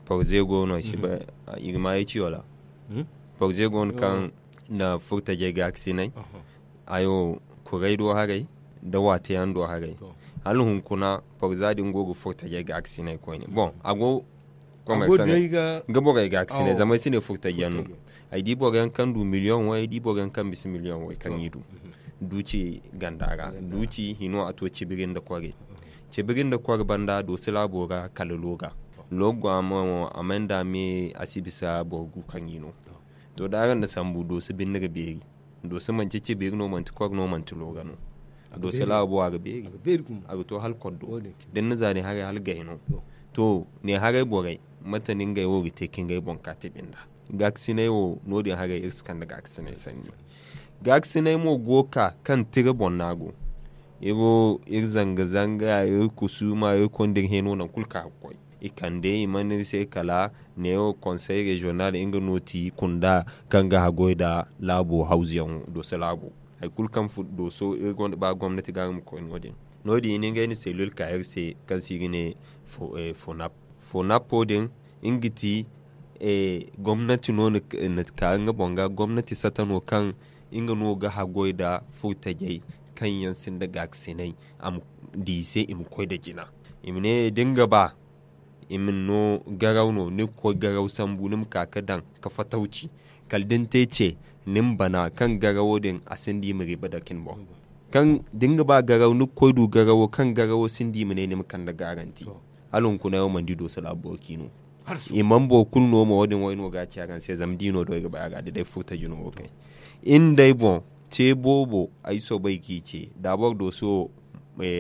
Porze go no i ga maayey ciyo ra. Porze go no kaŋ na furo tajey gaakasinay. Ayo kuray do haray nda waate yaŋ do haray. Hala hunkuna porza din go ga furo tajey gaakasinay koyne boŋ a go ga borey gaakasinay zama ay si ne furo taji yaŋ no. Ay di boro yaŋ kaŋ du miliyoŋ way ay di boro yaŋ kaŋ bisa miliyoŋ way kaŋ i du duuci ganda ra duuci hino a to cibiri nda kware. Cibiri nda kware banda dooso laabo ra kala looga looga mo a may nda me a si bisa boro gu kaŋ i no. To da araŋ na sambu dooso binde ga beeri. Dooso manti cibiri no manti kor no manti looga no. Dooso laabo a ga beeri a ga to hala koddo da ni na zaari haray hala gay no. To ne haray borey mate no ngey wo ga te ka ngey boŋ ka tibi nda gaakasinay wo no- din haray iri si kande gaakasinay sanni. Gaakasinay mo go ga ka kaŋ tira boŋ no a go. Iri wo iri zanga zanga iri kusuuma iri konda iri hẽeno nangu kulu kaŋ a ga koy i kande i mana iri se kala neewo konsey reziyonal nga no ti kunda kaŋ ga haggoy nda laabo hawzuyaŋo dooso laabo. Hari kulu kaŋ dooso iri gonda ba gomnati ga nga ma koy no- din no- din i na ngey na selil ka iri se kaŋ se i ga ne fonap. Fonap wo- din nga ti gomnati no na ka nga boŋ ga gomnati sata no kaŋ nga no ga haggoy nda furtajey kaŋ yaŋ sinda gaakasinay a ma di i se i ma koy nda jina. I ma ne da ni ga ba i ma ni no garaw no ni ga koy garaw sambu ni ma ka ga daŋ ga fatawci kala da ni te ce ni ma bana kaŋ garawo din a sinda i ma riba dake ni boŋ. Kaŋ da ni ga ba garaw ni ga koy du garawo kaŋ garawo sinda i ma ne ni ma kande garanti. Hala hunkuna ay wo mana di dooso laabu boro kaŋ i no. I mana boro kulu no mo wo- din wo ay no ga a ci araŋ se zama da i no do ay ga bay a ga da day furtaji no wo kay. Iri nda ay boŋ te boobo ay soobay ga i ce da boro dooso wo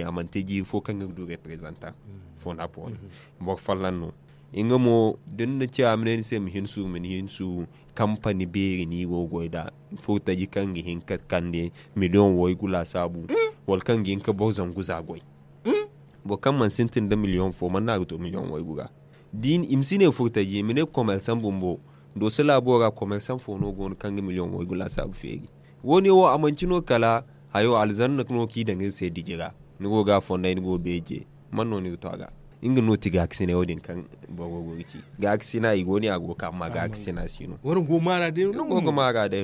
a mana te jiiri fo kaŋ ga du reprezantaŋ fonap wo- din boro folloŋ no. Nga mo da ni na ci a ma ne ni se ma hin suuru ma ni hin suuru kampani beeri no i go ga goy nd'a. Furtaji kaŋ ga hin ga kande miliyoŋ waygu laasaabu wala kaŋ ga hin ga boro zangu za goy. Boro kaŋ mana sintin nda miliyoŋ fo mana no a ga to miliyoŋ waygu ra. I ma si ne furtaji i ma ne komersaŋ bumbo dooso laabo ra komersaŋ fo no go no kaŋ ga miliyoŋ waygu laasaabu feeri. Wo- ne wo a manci no kala hayo alzanna no kaŋ i daŋ iri se diji ra. Ni go ga a fonday ni go ga beeje. Man no ni ga to a ga? Nga no ti gaakasinay wo- din kaŋ boro go ga ci. Gaakasina i go ne a go ga ka amma gaakasina si no. Waraŋ go maara day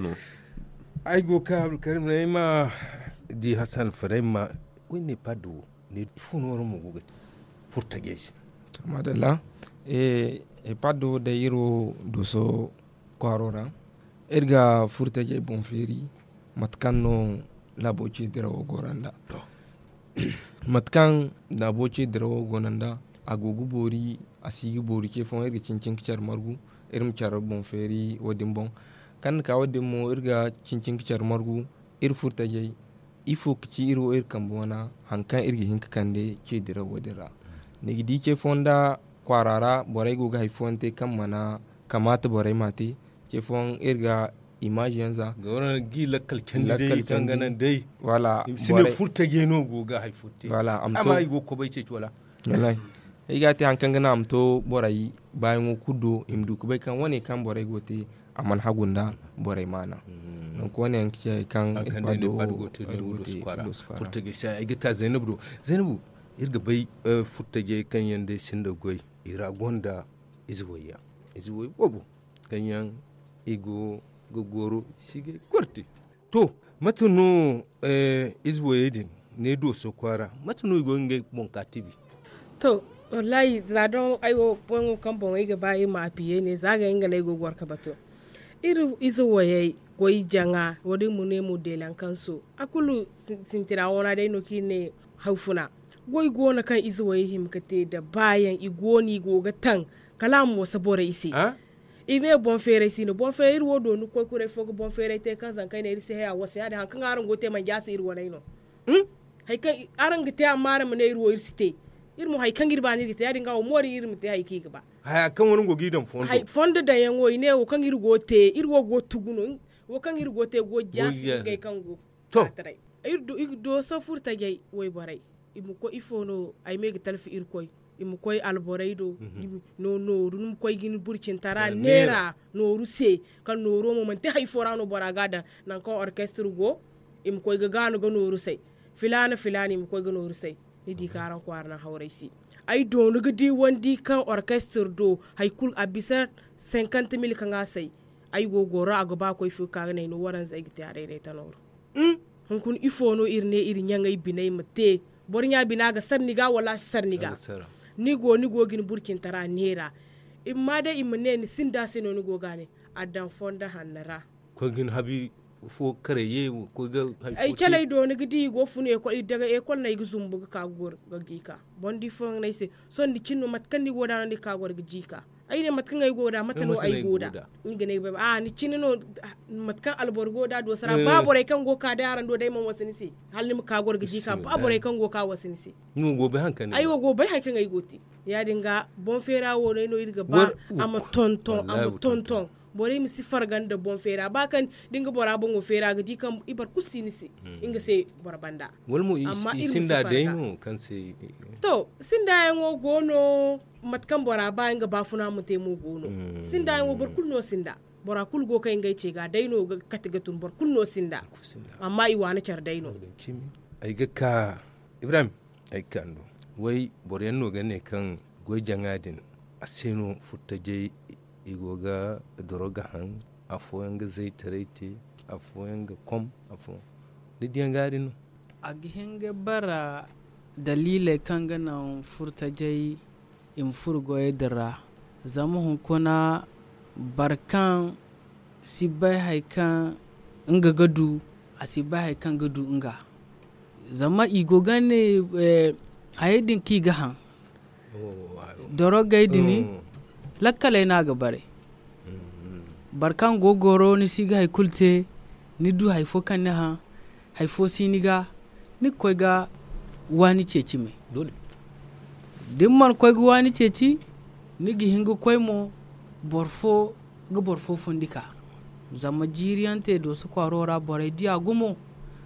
no. Ay go ga ka abdulkarim no ay ma di hasan faray ma. Koy ne paddo wo ne ifo no waraŋ mo go ga te furtajey se? Madalla. E paddo wo day iri wo dooso kwaaro ra. Iri ga furtajey boŋ feeri mate kaŋ no laabo ce dirawo goro nd'a. Mate kaŋ laabo ce dirawo go no nd'a, a go ga boori. A si ga boori ce fooyaŋ iri ga cin-cin ga care margu. Iri ma care boŋ feeri wo- din boŋ. Kaŋ ni ka wo- din mo iri ga cin-cin ga care margu. Iri furtajey ifo ga ci iri wo iri kambe wana? Hari kaŋ iri ga hin ga kande ce dirawo din ra. Ni ga di ce fooyaŋ nda kwaara ra borey go ga hari fooyaŋ te kaŋ mana kamaata borey m'a te. Ce fooyaŋ iri ga imaazi yaŋ za ga waraŋ ga i lakkal candi day kaŋ ga naŋ day. Wala i ma si ne furtajey no go ga hari fo te. Wala amma i go ga kobay ceeci wala? Wallaahi. Ay ga a te hari kaŋ ga naŋ a ma to borey baayaŋo kulu do i ma du ga bay kaŋ wane kaŋ borey go ga te a mana hagu nda borey maana. Donk wane yaŋ ga ci hari kaŋ iri ga ba do. Furtajey se ay ga ka zaynabu do. Zaynabu, iri ga bay furtajey kaŋ yaŋ day sinda goy i ra gonda ize wayya, ize way boobo kaŋ yaŋ i go ga goro i si ga ay korte. To, mate no ize wayey din ne dooso kwaara mate no i go ga ngey boŋ ka tibi? To, wallaahi za doŋ ay wo boŋo kaŋ boŋ ay ga ba iri ma a piye ne za ga nga no ay go ga goro ka batu. Iri ize wayey goy jaŋa wo- din mo ne mo deelankanso a kulu sintina wana day no kaŋ iri ne hawfuna. Goy go no kaŋ ize wayey hima ga te nda baayaŋ i go no i go ga taŋ kala a ma wasa borey se. I ne boŋ feeray si no boŋ feeray iri wo dooni ga koy kuray fo ga boŋ feeray te kaŋ zankey ne iri si haya wasa ya- din hari kaŋ araŋ go ga te manjaasi iri waney no. Hari kaŋ araŋ ga te amma araŋ ma ne iri wo iri si te. Iri mo hari kaŋ iri ba no iri ga te ya- din ga wo moori iri ma te hari kaŋ i ga ba. Haya kaŋ waraŋ go ga i daŋ fondo. Fondo daŋyaŋo i ne wo kaŋ iri go ga te iri wo go ga tugu no. Wo kaŋ iri go ga te go ga jaasi ngey kaŋ go ga taray. Iri dooso furtajey wayborey i ma koy ifo no ay ma ay ga talfi irkoy. I ma koy alborey do. Nooru ni ma koy ga ni burcintara neera nooru se kaŋ nooro mo manti hari fo ra no bora ga a daŋ. Nangu kaŋ orkestir go i ma koy ga gaanu ga nooru say. Filaana filaana i ma koy ga nooru say. Ni di kaŋ araŋ kwaara naŋ hawray se. Ay do ni ga di wandi kaŋ orkestir do hari kulu a bisa senkant mil kaŋ a say. Ay go goro a ga ba koy fo ga ka ga ne ay no waranza ay ga te a dayday ta nooru. Hunkuna ifo no iri ne iri ɲaŋey biney ma te? Boro ɲa bina ga sara ni ga wala a si sara ni ga? Ni go ni go ga ni burcintara neera. I ma ma day i ma ne ni sinda se no ni go ga a ne. A daŋ fondo hanno ra. Koy ga ni habi fo karay ye wo koy ga. Ay caley do ni ga di i go ga funu ekol i daga ekol no ay ga zumbu ga ka ga goro ga jiika. Boro di fooyaŋ no ay se. Sohõ ni cine no mate kaŋ ni go nd'a no ni ga ka goro ga jiika. Ay ne mate kaŋ ay go nd'a mate no ay go nd'a? Nga ne ay ga bay a ni cine no. Mate kaŋ alboro go nd'a dooso ra ba borey kaŋ go ga ka day araŋ do day mana wasa ni se. Hala ni ma ka goro ga jiika ba borey kaŋ go ga ka wasa ni se. Ay wo go ga bay hari kaŋ ay go ga te. Ya- din ga boŋ feera wo no ay no iri ga ba a ma tonton a ma tonton. Borey ma si farga nda boŋ feera ba kaŋ da nga bora boŋo feera ga di kaŋ i boro kulu si ni se. Nga se boro banda. Wala mo i sinda day no kaŋ se? To sinda yaŋo go no. Mate kaŋ bora ba nga baafuna ma te mo go no. Sinda yaŋo boro kulu no sinda. Bora kulu go kaŋ ngey ce ga day no ga kate ga tun boro kulu no sinda. Amma i waani care day no. Ay ga ka ibrahim. Ay ga ka ni do. Way boro yaŋ no ga ne kaŋ goy jaŋa din a se no furtajey i go ga doro ga haŋ. Afooyaŋ ga zaytaray te. Afooyaŋ ga kom. Afooyaŋ ni diyaŋ ga din no. A ga hin ga bara daliiley kaŋ ga naŋ furtajey i ma furo goyey din ra. Zama hunkuna boro kaŋ si bay hari kaŋ nga ga du a si bay hari kaŋ ga du nga. Zama i go ga ne hayey din kaŋ i ga haŋ dorogey din lakkaley no a ga bare. Boro kaŋ go ga goro ni si ga hari kulu te ni du hari fo kaŋ ni haŋ hari fo si ni ga ni ga koy ga waani ceeci me. Da ni mana koy ga waani ceeci ni ga hin ga koy mo boro fo ga boro fo fundi ka. Zama jiiri yaŋ te dooso kwaaro ra borey di a gumo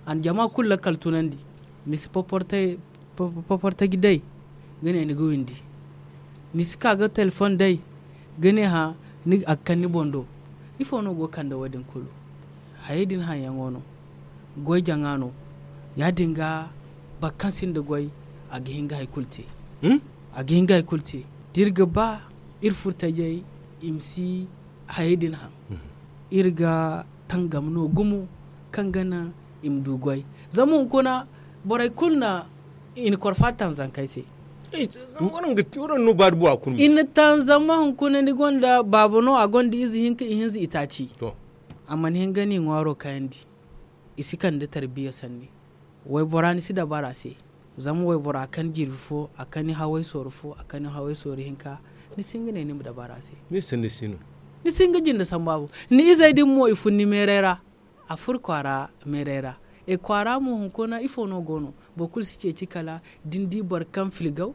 a na jama kulu lakkal tunandi. Misi poportaji day ga ne ni ga windi ni si ka ga telefoŋ day ga ne hã a ga kande ni boŋ do. Ifo no go ga kande wo- din kulu? Hayey din haŋyaŋo no. Goy jaŋa no. Ya- din ga boro kaŋ sinda goy, a ga hin ga hari kulu te. A ga hin ga hari kulu te. Da iri ga ba iri furtajey i ma si hayey din haŋ, iri ga tangam no gumo kaŋ ga naŋ i ma du goy. Zama hunkuna borey kulu na i na korfa taŋ zankey se. I na taŋ zama hunkuna ni gonda baaba no, a gonda ize hinka, ihinza, itaaci. A mana hin ga ni ŋwaaro kayandi. I si kande tarbiya sanni. Waybora ni si dabara se. Zama waybora a kan jirbi fo, a kan haway sooru fo, a kan haway sooru hinka. Ni si hin ga ne ni ma dabara se. Ni si hin ga jinde sambu a boŋ. Ni izey din mo i fun ni meeray ra. A fur kwaara meeray ra. E kwaara mo hunkuna ifo no go no? Boro kulu si ceeci kala da ni di boro kaŋ filgaw.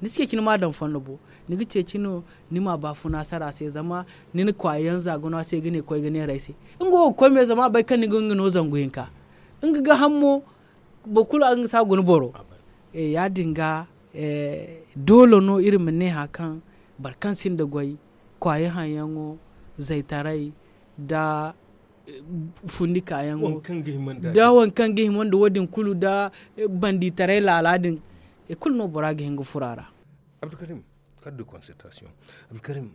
Ni si ceeci ni ma a daŋ fondo bo. Ni ga ceeci no ni ma baafuna sara se zama ni na kwaayaŋ za ga no a se ga ne koy ga neera ay se. Nga wo ga koy me zama a bay kaŋ ni ga nga no zangu hinka. Nga ga haŋ mo boro kulu a ga nga si a guna boro. Ya- din ga doole no iri ma ne hari kaŋ boro kaŋ sinda goy, kwaayi haŋyaŋo, zaytaray, nda fundi kaayaŋo, da waŋ kaŋ ga hima nda wo- din kulu nda banditaray laala din. I kulu no bora ga hin ga furo a ra. Abdulkarim, kar de concertation. Abdulkarim,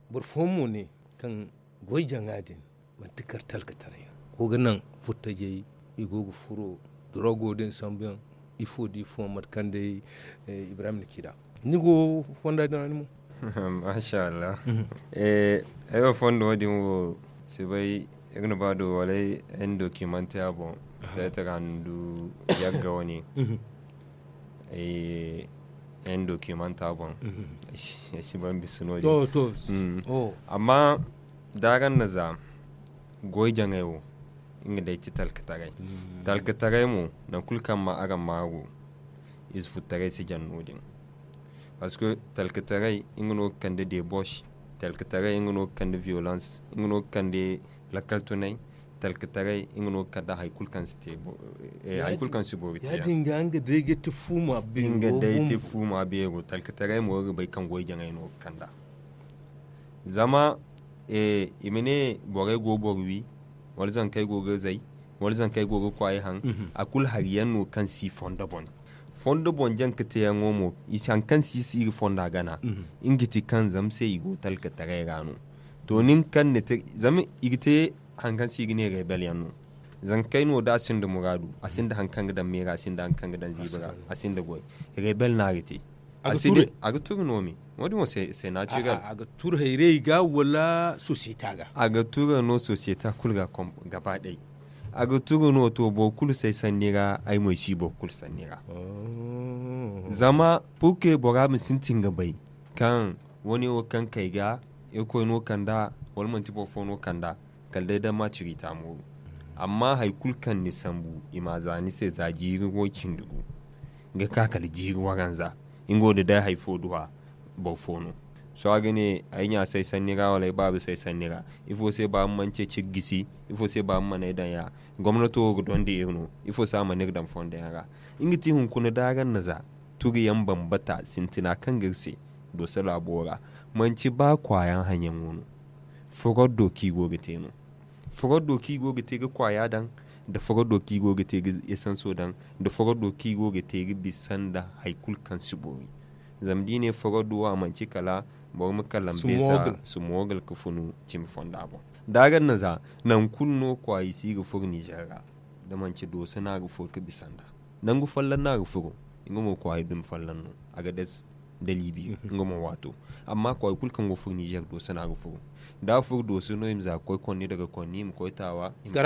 boro fooyaŋ mo ne kaŋ goy jaŋa din manti kar talkataray ra. Go ga naŋ furtajey, i go ga furo drogo din sambu yaŋ. Ifo da ifo mate kaŋ day ibrahim na ci nd'a. Ni go fonda din ra ni mo? Masha Allah. Ay wo fondo wo din wo si bay. Iri na ba do wala ay na documente a boŋ. Tayta ga handu yagga wane. Ay na documente a boŋ. Ay si ban bisa no din. Amma da araŋ na za goy jaŋay wo, nga day ti talkataray. Talkataray mo, nangu kulu kaŋ ma araŋ maaru, ize futtaray si jaŋ no- din. Parce que talkataray nga no ga kande debauche. Talkataray nga no ga kande violence, nga no ga kande lakkal tunay. Talkataray nga no ga kande hari kulu kaŋ si te. Hari kulu kaŋ si boori te ya- din ga nga day ga ti fuuma beero. Nga day ti fuuma beero. Talkataray mo ga bay kaŋ goy jaŋay no ga kanda. Zama i ma ne borey go boro wi, wala zankey go ga zay, wala zankey go ga kwaayi haŋ. A kulu hari yaŋ no kaŋ si fondo boŋ. Fondo boŋ jaŋ ga teeyaŋo mo, i si hari kaŋ si si iri fonda gana. Nga ti kaŋ zama se i go talkataray ra no. To nin kaŋ ni te zama i ga te hari kaŋ se i ga ne rebel yaŋ no. Zankey no da a sinda muraadu, a sinda hari kaŋ ga daŋ meera, a sinda hari kaŋ ga daŋ ziibi ra, a sinda goy. Rebel no a ga te. A ga turu no me. Wo- din wo se na ci ga a ga turu hayray ga wala sosiyeta ga? A ga turu no sosiyeta kulu ga gaba day. A ga turu no to boro kulu se sanni ra, ay mo ay si boro kulu sanni ra. Zama purke bora ma sintin ga bay kaŋ wane wo kaŋ kay ga irkoy no kanda, wala manti boro fo no kanda. Kala day da ma ciri ta mooru. Amma hari kulu kaŋ ni sambu i ma za ni se za jiiri wo cindi gu ga ka kala jiiri waranza. Nga wo da day hari fo duwa boro fo no. Sohõ a ga ne ay ɲa say sanni ra wala ay baaba say sanni ra. Ifo se ba ma mana ceeci ga gisi? Ifo se ba ma mana ay daŋ ya? Gomnato wo ga dondi iri no. Ifo se a mana iri daŋ fondo yaŋ ra? Nga ti hunkuna da araŋ na za turi yaŋ bambata sintina kaŋ ga iri se dooso laabo ra. Manci ba kwaayaŋ haŋyaŋo no. Foroddo kaŋ i go ga te no. Foroddo kaŋ i go ga te ga kwaaya daŋ, nda foroddo kaŋ i go ga te ga esanso daŋ, nda foroddo kaŋ i go ga te ga bisa nda hari kulu kaŋ si boori. Zama da i ne foroddo wo a manci kala boro ma kalambe za sumoogal ga funu cimi fonda boŋ. Da araŋ na za nangu kulu no kwaayi si ga furo nizer ra. Da manci dooso no a ga furo ga bisa nda nangu folloŋ no a ga furo. Nga mo kwaayi dumi folloŋ no a ga des da libi nga mo waato. Amma kwaayi kulu kaŋ go furo nizer dooso no a ga furo. Da a furo dooso no i ma za ga koy konni daga konni i ma koy taawa. Nga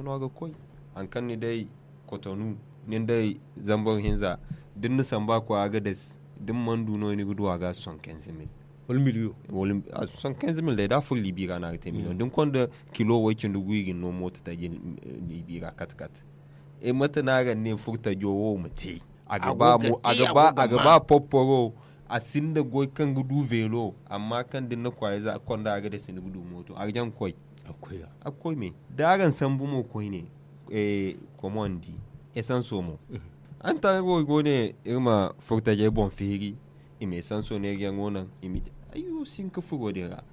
no a ga koy. Hari kaŋ ni day kotonu, nin day zambar hinza da ni na samba kwaayi a ga des. Da ni mana du no ni ga du a ga soixante-quinze mille. Wala miliyo. Soixante-quinze mille day da a furo libi ra no a ga te miliyo da ni konda kilo way cindi gu i ga ni no mooto taji. Libi ra kate kate. Mate no a ga ne furtajo wo ma te? A ga ba popporo. A sinda goy kaŋ ga du veelo. Amma kaŋ da ni na kwaayey za a konda a ga dasi ni ga du mooto a ga jaŋ ga koy. A ga koy me da araŋ sambu mo koyne. Komondi esanso mo. Araŋ taŋ go ne iri ma furtajey boŋ feeri. I ma esanso neeriyaŋo naŋ i ma te. Ayyo si hin ka furo din ra.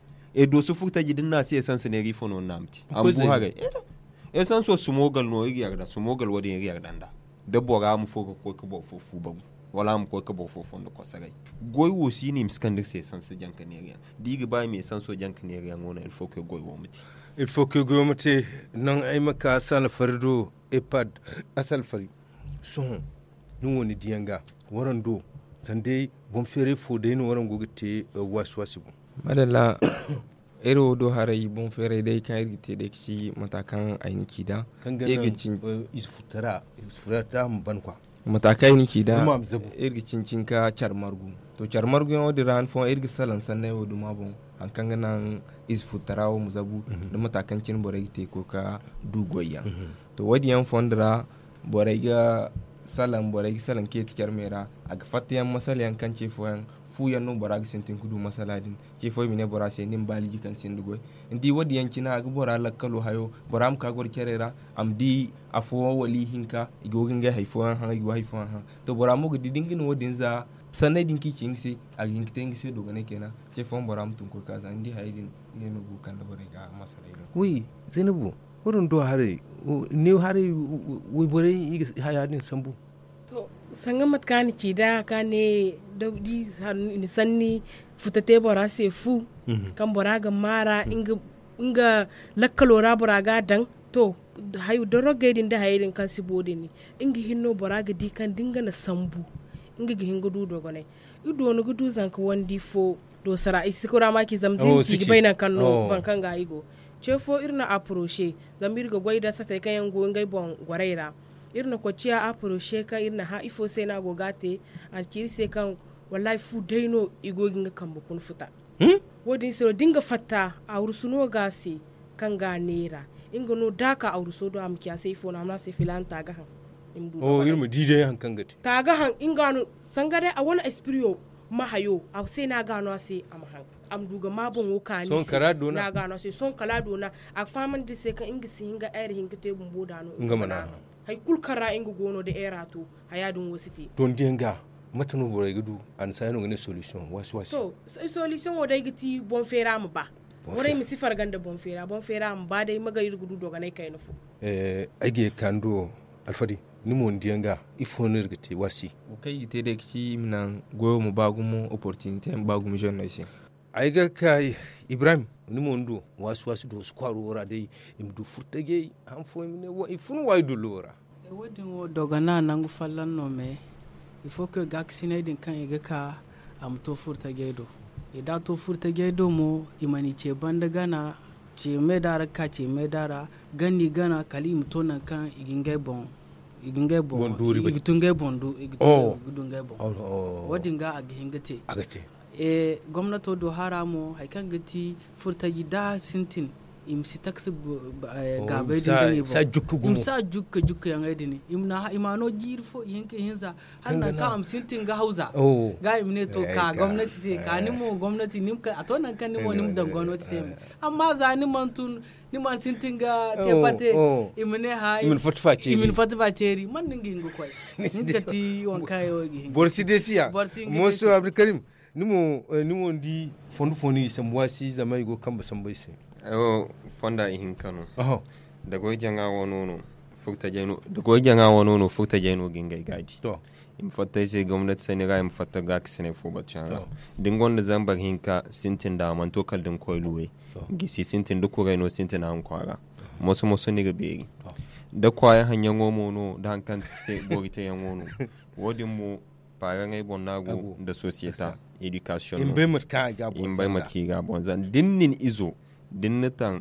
Dooso furtaji da ni na a se esanso neeri ifo no ni na a ma te? A ma bu haray. Esanso sumogal no iri ga yarda sumogal wo- din iri ga yarda nd'a. Da bora ma fo ga koy ga boro fo fu bagu, wala a ma koy ga boro fo fondo kosaray. Goy wo si no i ma si kande iri se esanso janka neera yaŋ. Da i ga ba i ma esanso janka neera yaŋo no, ilfo ke goy wo ma te. Ilfo ke goy wo ma te. Naŋ ay ma ka asalfari do, epad, asalfari. Sohõ, ni wo ni diyaŋ ga, waraŋ do, sanda boŋ feeray fo day no waraŋ go ga te waasi waasi boŋ. Madalla. Iri wo do haray boŋ feeray day kaŋ iri ga te day ga ci mata kaŋ ay na ci nd'a. Iri ga ci ize furtara, ize furtara ma ban kwa. Mata kaŋ ay na ci nd'a, iri ga cincin ka care margu. To, care marguyaŋo din ra han fooyaŋ iri ga salaŋ sanney wo duma boŋ, hari kaŋ ga naŋ ize furtara wo ma zabu, da mata kaŋ cine borey ga te ga koy ga du goy yaŋ. To, wo- din yaŋ fondo ra, borey ga salaŋ borey ga salaŋ ceeti care me ra. A ga fatta yaŋ masala yaŋ kaŋ ce fooyaŋ, fu yaŋ no bora ga sintin ga du masala din. Ce fo i ma ne bora se ni ma baaliji kaŋ sinda goy. Ni di wo- din yaŋ cine a ga bora lakkalo hayo, bora ma ka goro care ra, a ma di afo wala ihinka i go ga ngey hari fooyaŋ haŋ i go hari fooyaŋ haŋ. To, bora mo ga di da nga na wo- din za sanney din kaŋ i ci nga se, a ga hin ga te nga se dogonay kayna. Ce fooyaŋ bora ma tun ga koy ga za ni di hayey din, ngey ma go ga kande borey ga masaley do. Wi, zaynabu, waraŋ do haray, ne haray, wayborey i ga haya din sambu. To, sanga mate kaŋ a na ci nd'a ka ne, da i na sanni futa te bora se fu, kaŋ bora ga maara nga lakkalo ra bora ga a daŋ. To, dorogey din da hayey din kaŋ si bo din, nga hinne no bora ga di kaŋ da nga na sambu, nga ga hin ga du dogonay. Iri doona ga du zanka wandi fo, doosara i si kura ma ci zama zina ci ga bay nangu kaŋ no boro kaŋ ga i go. Ce fo iri na aporoce, zama iri ga goy nda satey kaŋ yaŋ go ngey boŋ gorey ra. Iri na koy ciya aporoce kaŋ iri na hã ifo se no a go ga a te. A na ci iri se kaŋ, wallahi fu day no i go ga nga kambe kuna futa. Wo- din se no da nga fatta, awrusu no ga a se, kaŋ ga a neera. Nga no da a ka awruso do a ma ci a se ifo no a ma ne a se filaana ta ga haŋ. Iri ma di day hari kaŋ ga te. Ta ga haŋ nga no. Sanga day a wane espiriyo ma hayo a se no a ga no a se a ma haŋ. A ma du ga ma boŋo kaani se. No a ga no a se sohõ kala a doona. A ga fahamandi iri se kaŋ nga si hin ga eera hinka te bumbo da no nga mana haŋ. Hari kulu kaŋ ra nga go no da eera to, haya din wo si te. To ni di yaŋ ga, mate no borey ga du? Annasaara no ga ne solisiyoŋ waasi waasi. To, solisiyoŋo day ga ti boŋ feera ma ba. Borey ma si farga nda boŋ feera boŋ feera ma ba day ma gar iri ga du dogonay kayna fo. Ay ga ye ga ka ni do, alfadi, ni mo ni di yaŋ ga, ifo no iri ga te waasi? Wo kaŋ i ga te day ga ci i ma naŋ goyo ma ba gumo, opportunité ma ba gumo zenney se. Ay ga ka, ibrahim, ni mo ni do waasi waasi do si kwaaro wo ra day, i ma du furtajey han fooyaŋ i ma ne i fun waayi dullo wo ra. Wo- din wo dogana nangu folloŋ no me. Ifo koy gaakasiney din kaŋ i ga ka, a ma to furtajey do. I da a to furtajey do mo, i mana i ce banda gana, ce meeda ra ga ka ce meeda ra, ganda i gana kala i ma to nangu kaŋ i ga ngey boŋ i ga tun ngey boŋ du i ga du ngey boŋ. Wo- din ga a ga hin ga te. Gomnato do hara mo hari kaŋ ga ti furtaji da sintin, i ma si taksi gaabay din ga ne boŋ. I ma si a jukka jukka yaŋey din i ma no jiiri fo i hinka i hinza, hala nangu kaŋ a ma sintin ga hawza. Ga i ma ne to ka gomnati se ka ni mo gomnati ni ma kay a to nangu kaŋ ni mo ni ma daŋ gomnati se me. Amma za ni mana tun ni mana sintin ga te fatte, i ma ne ha i ma ni fatta fa ceeri man no ni ga hin ga koy. Ni ga ti waŋ kaŋ yaŋ wo ga hin ga boro si deesiya. Mooso abdulkarim, ni mo ni di fondo fo no i sambu waasi zama i go ga kambe sambu ay se. Fonda ihinka no. Da goy jaŋa wano no furtajey no ga ngey gaabi. I ma fatta ay se gomnati sanni ra i ma fatta gaakasinay fo batu yaŋ ra. Da ni gonda zambar hinka sintin da a mana to kala da ni koy luwey, gisi sintin da kuray no sintin a hunkwa ra. Moso moso ni ga beeri. Da kwaaya haŋyaŋo mo no da hari kaŋ boori teyaŋo no. Wo- din mo paaraŋey boŋ no a go nda sosiyeta. Edikasiyoŋ no i ma bay mate kaŋ i ga a boŋ zama da ni na ni izo da ni na taŋ,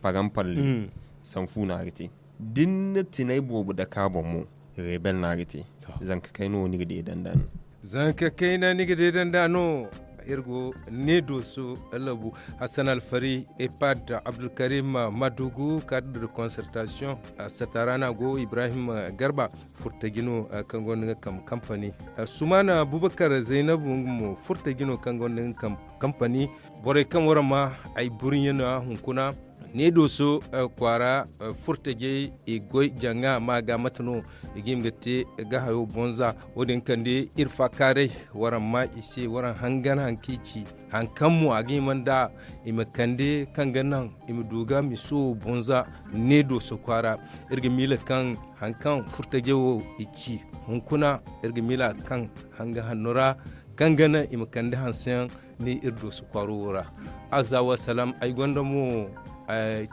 parampalle sanfu no a ga te. Da ni na tinay boobo dake a boŋ mo, rebel no a ga te. Zanka kayna wo ni ga deedanda no. Zanka kayna ni ga deedanda no. Iri go ne dooso labu, hassan alfari, epad, abdulkarim, madugu, kadre de concertation, satara no a go ibrahim garba, furtaji no kaŋ gonda nga kambe kampani. Sumana bubakar zaynabu nga mo furtaji no kaŋ gonda nga kambe kampani. Borey kaŋ waraŋ ma ay burɲe no a hunkuna. Ne dooso kwaara furtajey i goy janga ma ga mate no i ga hima ga te ga hayo bonza. Wo- din kande iri faakaaray waraŋ ma i se waraŋ hangan hari kaŋ i ci hari kaŋ mo a ga hima nda i ma kande kaŋ ga naŋ i ma du ga miso wo bonza. Ne dooso kwaara iri ga miila kaŋ hari kaŋ furtajey wo i ci hunkuna iri ga miila kaŋ hanga hanno ra kaŋ ga naŋ i ma kande hanse yaŋ ne iri dooso kwaaro wo ra. Azza wa salaam ay gonda mo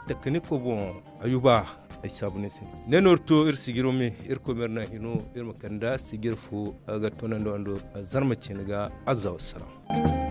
takaniko boŋ ayuba ay saabu ni se. Ne no iri to iri sijiro me iri koy ma iri naŋ hino iri ma kande sijir fo ga toonandi wando zarma ciine ga. Azza wa salaam.